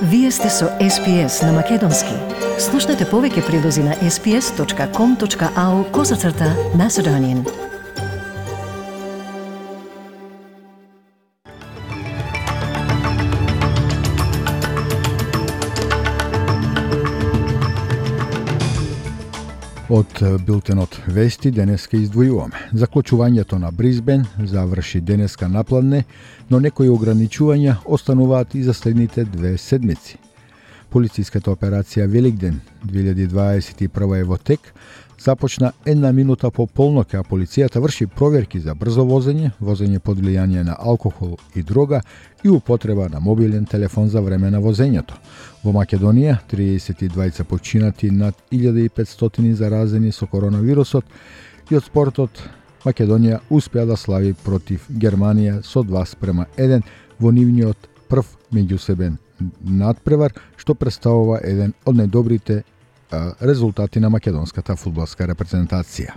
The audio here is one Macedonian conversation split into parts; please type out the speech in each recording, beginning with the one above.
Вие сте со SPS на Македонски. Слушнете повеќе прилози на sps.com.au/Macedonian. Од билтенот вести денеска издвојуваме. Заклучувањето на Брисбен заврши денеска напладне, но некои ограничувања остануваат и за следните 2 седмици. Полициската операција Великден 2021 е во тек, започна 1 минута по полноќ, а полицијата врши проверки за брзо возење, возење под влијание на алкохол и дрога и употреба на мобилен телефон за време на возењето. Во Македонија 32 починати, над 1500 заразени со коронавирусот, и од спортот Македонија успеа да слави против Германија со 2:1 во нивниот прв меѓусебен надпревар, што представува еден од најдобрите резултати на македонската фудбалска репрезентација.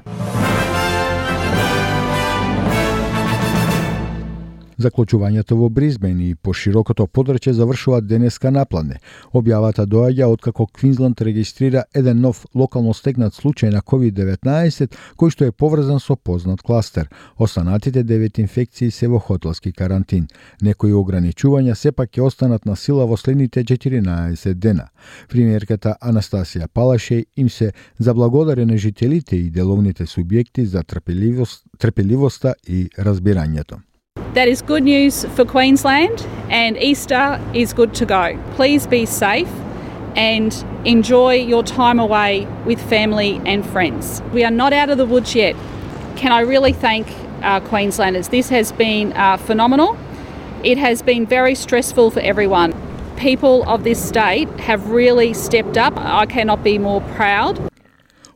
Заклучувањето во Брисбен и по широкото подрачје завршуваат денеска напладне. Објавата доаѓа откако Квинсланд регистрира еден нов локално стекнат случај на COVID-19, кој што е поврзан со познат кластер. Останатите 9 инфекции се во хотелски карантин. Некои ограничувања сепак ќе останат на сила во следните 14 дена. Премиерката Анастасија Палашеј им се заблагодари на жителите и деловните субјекти за трпеливоста и разбирањето. That is good news for Queensland, and Easter is good to go. Please be safe and enjoy your time away with family and friends. We are not out of the woods yet. Can I really thank Queenslanders? This has been phenomenal. It has been very stressful for everyone. People of this state have really stepped up. I cannot be more proud.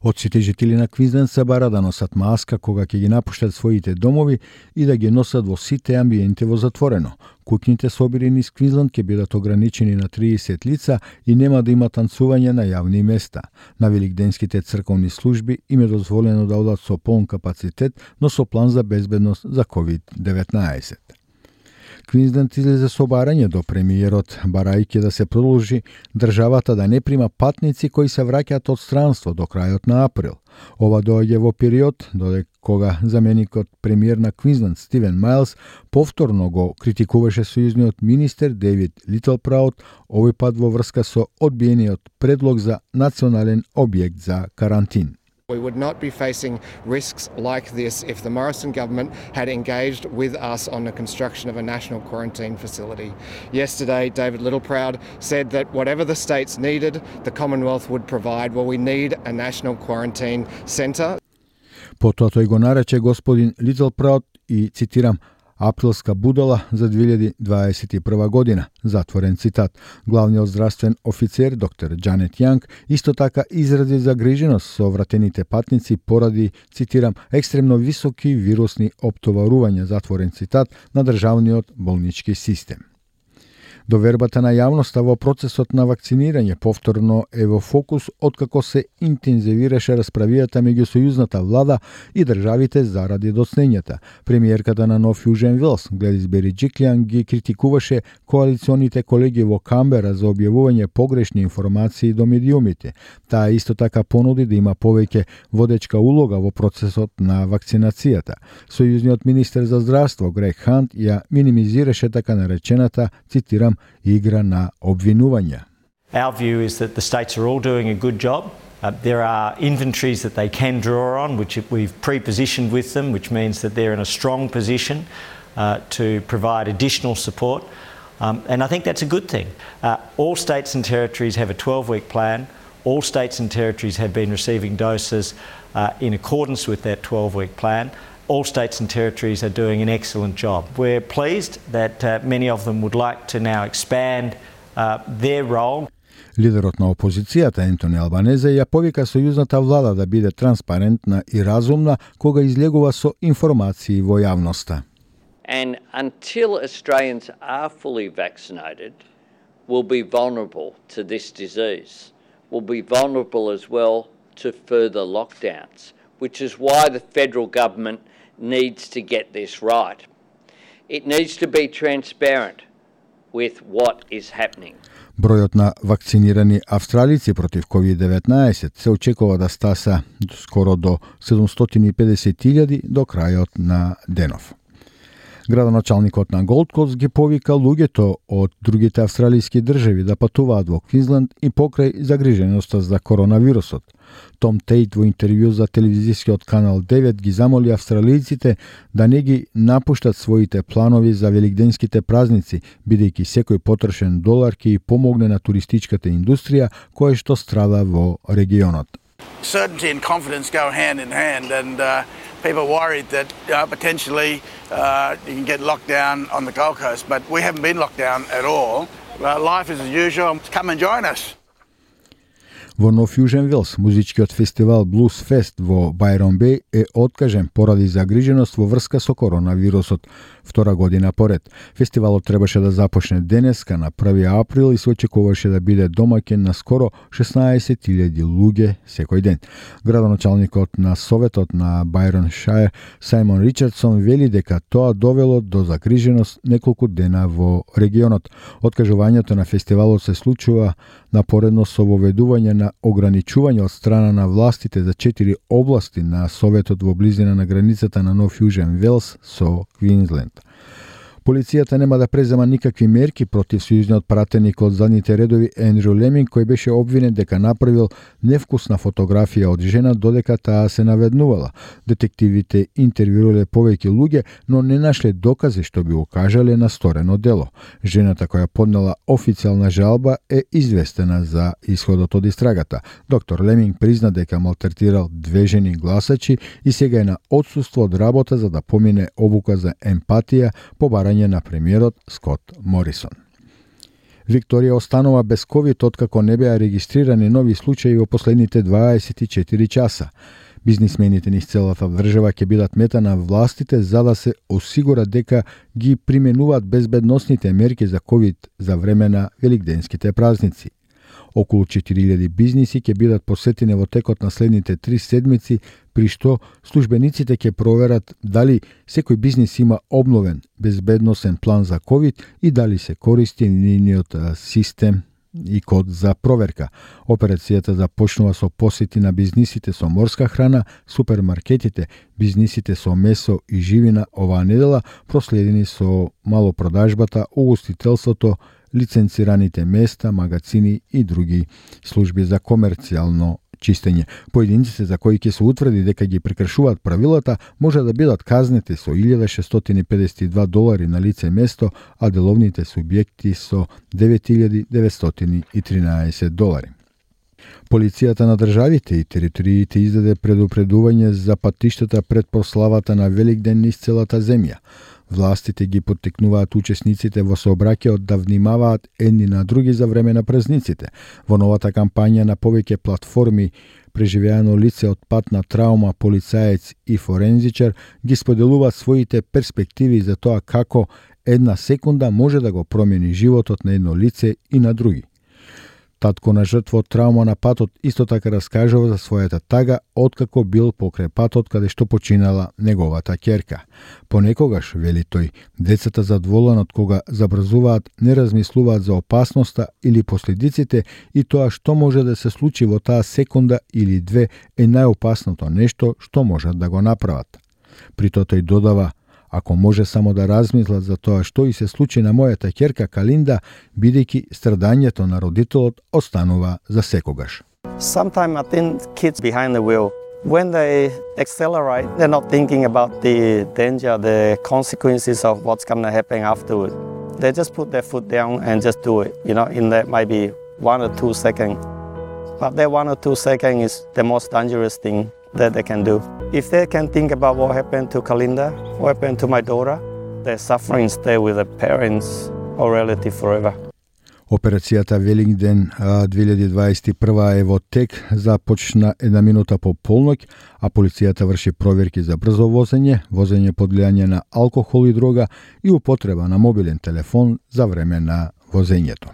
Од сите жители на Квинсленд се бара да носат маска кога ќе ги напуштат своите домови и да ги носат во сите амбиенти во затворено. Куќните собири низ Квинсленд ќе бидат ограничени на 30 лица и нема да има танцување на јавни места. На великденските црковни служби им е дозволено да одат со полн капацитет, но со план за безбедност за COVID-19. Квинсленд излезе со барање до премиерот, барајќи да се продолжи државата да не прима патници кои се враќаат од странство до крајот на април. Ова доаѓа во период додека кога заменикот премиер на Квинсленд Стивен Мајлс повторно го критикуваше сојузниот министер Дейвид Литлпраут, овој пат во врска со одбиениот предлог за национален објект за карантин. We would not be facing risks like this if the Morrison government had engaged with us on the construction of a national quarantine facility. Yesterday, David Littleproud said that whatever the states needed, the Commonwealth would provide. Well, we need a national quarantine centre. Потоа тој го нарече господин Литлпраут и, цитирам, априлска будала за 2021 година, затворен цитат. Главниот здравствен офицер, доктор Джанет Јанг, исто така изрази загриженост со вратените патници поради, цитирам, екстремно високи вирусни оптоварувања, затворен цитат, на државниот болнички систем. Довербата на јавноста во процесот на вакцинирање повторно е во фокус откако се интензивираше расправијата меѓу сојузната влада и државите заради доцнењата. Премиерката на Нов Јужен Велс, Гледис Бериџиклиан, ги критикуваше коалиционите колеги во Камбера за објавување погрешни информации до медиумите. Таа исто така понуди да има повеќе водечка улога во процесот на вакцинацијата. Сојузниот министер за здравство Грег Хант ја минимизираше така наречената, цитирам, игра на обвинувања. Our view is that the states are all doing a good job. There are inventories that they can draw on, which we've pre-positioned with them, which means that they're in a strong position to provide additional support. And I think that's a good thing. All states and territories have a 12-week plan. All states and territories have been receiving doses in accordance with that 12-week plan. All states and territories are doing an excellent job. We're pleased that many of them would like to now expand their role. Лидерот на опозицијата Ентони Албанезе ја повика сојузната влада да биде транспарентна и разумна кога излегува со информации во јавноста. And until Australians are fully vaccinated, we'll be vulnerable to this disease. We'll be vulnerable as well to further lockdowns, which is why the federal government needs to get this right. It needs to be transparent. with what is happening. Бројот на вакцинирани австралици против COVID-19 се очекува да стаса скоро до 750.000 до крајот на денов. Градоначалникот на Голд Кост ги повика луѓето од другите австралиски држави да патуваат во Квинсленд и покрај загриженоста за коронавирусот. Том Тейт во интервју за телевизискиот канал 9 ги замоли австралијците да не ги напуштат своите планови за великденските празници, бидејќи секој потрошен долар ќе и помогне на туристичката индустрија која што страда во регионот. Certainty and confidence go hand in hand, and people are worried that potentially you can get locked down on the Gold Coast, but we haven't been locked down at all. Life is as usual. Come and join us. Во Нов Јужен Велс, музичкиот фестивал Blues Fest во Byron Bay е откажен поради загриженост во врска со коронавирусот втора година поред. Фестивалот требаше да започне денеска на 1 април и се очекуваше да биде домаќин на скоро 16.000 луѓе секој ден. Градоначалникот на Советот на Byron Shire Сајмон Ричардсон вели дека тоа довело до загриженост неколку дена во регионот. Откажувањето на фестивалот се случува напоредно со воведување на ограничување од страна на властите за 4 области на Советот во близина на границата на Нов Јужен Велс со Квинсленд. Полицијата нема да презема никакви мерки против сојузниот пратеник од задните редови Ендрю Леминг, кој беше обвинет дека направил невкусна фотографија од жена додека таа се наведнувала. Детективите интервјуирале повеќе луѓе, но не нашле докази што би укажале на сторено дело. Жената која поднела официјална жалба е известена за исходот од истрагата. Доктор Леминг призна дека малтретирал 2 жени гласачи и сега е на отсуство од работа за да помине обука за емпатија по барање на премиерот Скот Морисон. Викторија останува без ковид откако не беа регистрирани нови случаи во последните 24 часа. Бизнисмените низ целата држава ќе бидат мета на властите за да се осигурат дека ги применуваат безбедносните мерки за ковид за време на великденските празници. Околу 4000 бизниси ќе бидат посетени во текот на следните 3 седмици, при што службениците ќе проверат дали секој бизнис има обновен безбедносен план за ковид и дали се користи нивниот систем и код за проверка. Операцијата започнува со посети на бизнисите со морска храна, супермаркетите, бизнисите со месо и живина оваа недела, проследени со малопродажбата, угостителството, лиценцираните места, магазини и други служби за комерцијално чистење. Поединците за кои ќе се утврди дека ги прекршуваат правилата може да бидат казнети со $1,652 на лице место, а деловните субјекти со $9,913. Полицијата на државите и териториите издаде предупредување за патиштата пред прославата на Великден низ целата земја. Властите ги поттикнуваат учесниците во сообраќајот да внимаваат едни на други за време на празниците. Во новата кампања на повеќе платформи преживеано лице од патна траума, полицаец и форензичар ги споделуваат своите перспективи за тоа како една секунда може да го промени животот на едно лице и на други. Татко на жртва од траума на патот исто така раскажува за својата тага откако бил покрај патот каде што починала неговата ќерка. Понекогаш, вели тој, децата задоволен од кога забрзуваат, не размислуваат за опасноста или последиците и тоа што може да се случи во таа секунда или две е најопасното нешто што можат да го направат. При тоа тој додава: ако може само да размислат за тоа што и се случи на мојата ќерка Калинда, бидејќи страдањето на родителот останува за секогаш. Sometimes I think kids behind the wheel, when they accelerate, they're not thinking about the danger, the consequences of what's going to happen afterward. They just put their foot down and just do it, in that maybe 1 or 2 seconds. But that 1 or 2 seconds is the most dangerous thing that they can do. If they can think about what happened to Kalinda, what happened to my daughter, their suffering stay with the parents or relative forever. Операцијата Великден 2021 е во тек, започна 1 минута по полноќ, а полицијата врши проверки за брзо возење, возење под влијание на алкохол и дрога и употреба на мобилен телефон за време на возењето.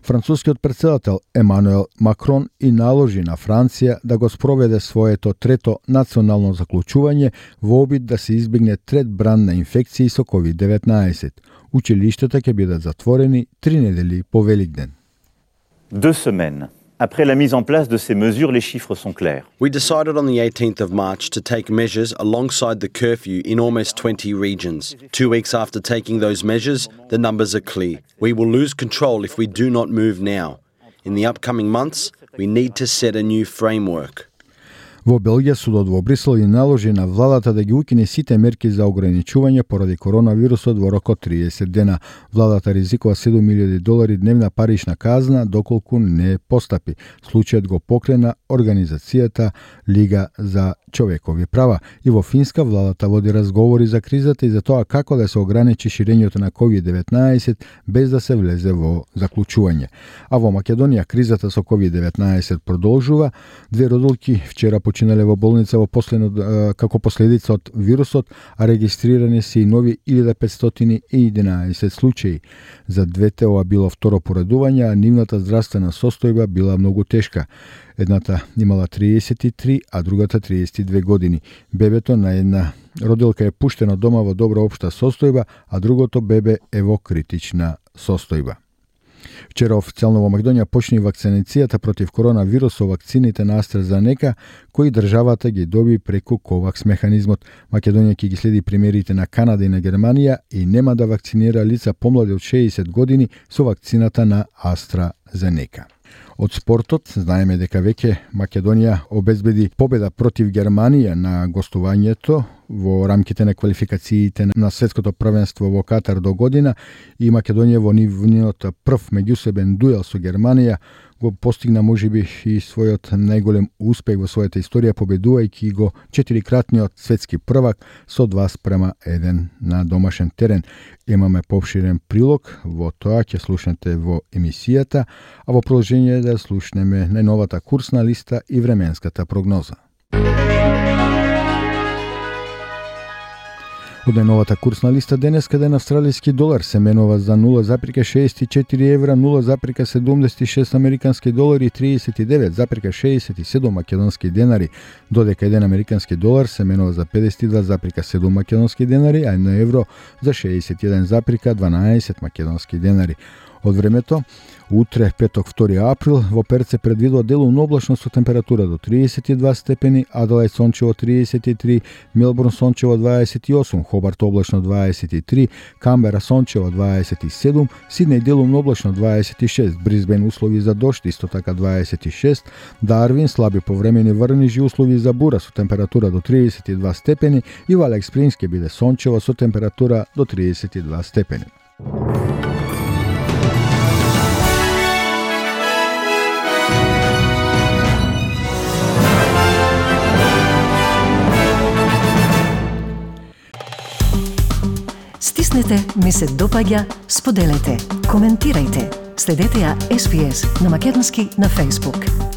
Францускиот претседател Емануел Макрон и наложи на Франција да го спроведе своето трето национално заклучување во обид да се избегне трет бран на инфекции со COVID-19. Училиштата ќе бидат затворени 3 недели по Великден. 2 semaines. Après la mise en place de ces mesures, les chiffres sont clairs. We decided on the 18th of March to take measures alongside the curfew in almost 20 regions. 2 weeks after taking those measures, the numbers are clear. We will lose control if we do not move now. In the upcoming months, we need to set a new framework. Во Белгија судот во Брисел и наложи на владата да ги укине сите мерки за ограничување поради коронавирусот во рок од 30 дена. Владата ризикува $7,000 дневна парична казна доколку не постапи. Случајот го покрена организацијата Лига за човекови права. И во Финска владата води разговори за кризата и за тоа како да се ограничи ширењето на COVID-19 без да се влезе во заклучување. А во Македонија кризата со COVID-19 продолжува. 2 родилки вчера починале во болница во како последица од вирусот, а регистрирани се и нови 1511 случаи. За двете ова било второ поредување, а нивната здравствена состојба била многу тешка. Едната имала 33, а другата 32 години. Бебето на една родилка е пуштено дома во добра општа состојба, а другото бебе е во критична состојба. Вчера официјално во Македонија почна и вакцинацијата против коронавирус со вакцините на AstraZeneca, кои државата ги доби преку COVAX механизмот. Македонија ќе ги следи примерите на Канада и на Германија и нема да вакцинира лица помлади од 60 години со вакцината на AstraZeneca. Од спортот знаеме дека веќе Македонија обезбеди победа против Германија на гостувањето во рамките на квалификациите на светското првенство во Катар до година и Македонија во нивниот прв меѓусебен дуел со Германија го постигна можеби и својот најголем успех во својата историја, победувајќи го 4-кратниот светски првак со 2:1 на домашен терен. Имаме поопширен прилог, во тоа ќе слушнете во емисијата, а во продолжение да слушнеме најновата курсна листа и временската прогноза. Од најновата курсна листа денеска ден австралиски долар се менува за 0,64 евра, 0,76 американски долари и 39,67 македонски денари, додека еден американски долар се менува за 52,7 македонски денари, а едно евро за 61,12 македонски денари. Од времето, утре, петок, 2 април, во Перт се предвидува делумно облачно со температура до 32 степени, Аделајд сончево 33, Мелбурн сончево 28, Хобарт облачно 23, Камбера сончево 27, Сиднеј делумно облачно 26, Брисбен услови за дожд, исто така 26, Дарвин слаби повремени врнежи услови за бура со температура до 32 степени и во Алекс Спрингс ќе биде сончево со температура до 32 степени. Стиснете, ми се допаѓа, споделете, коментирајте. Следете ја SPS на Македонски на Facebook.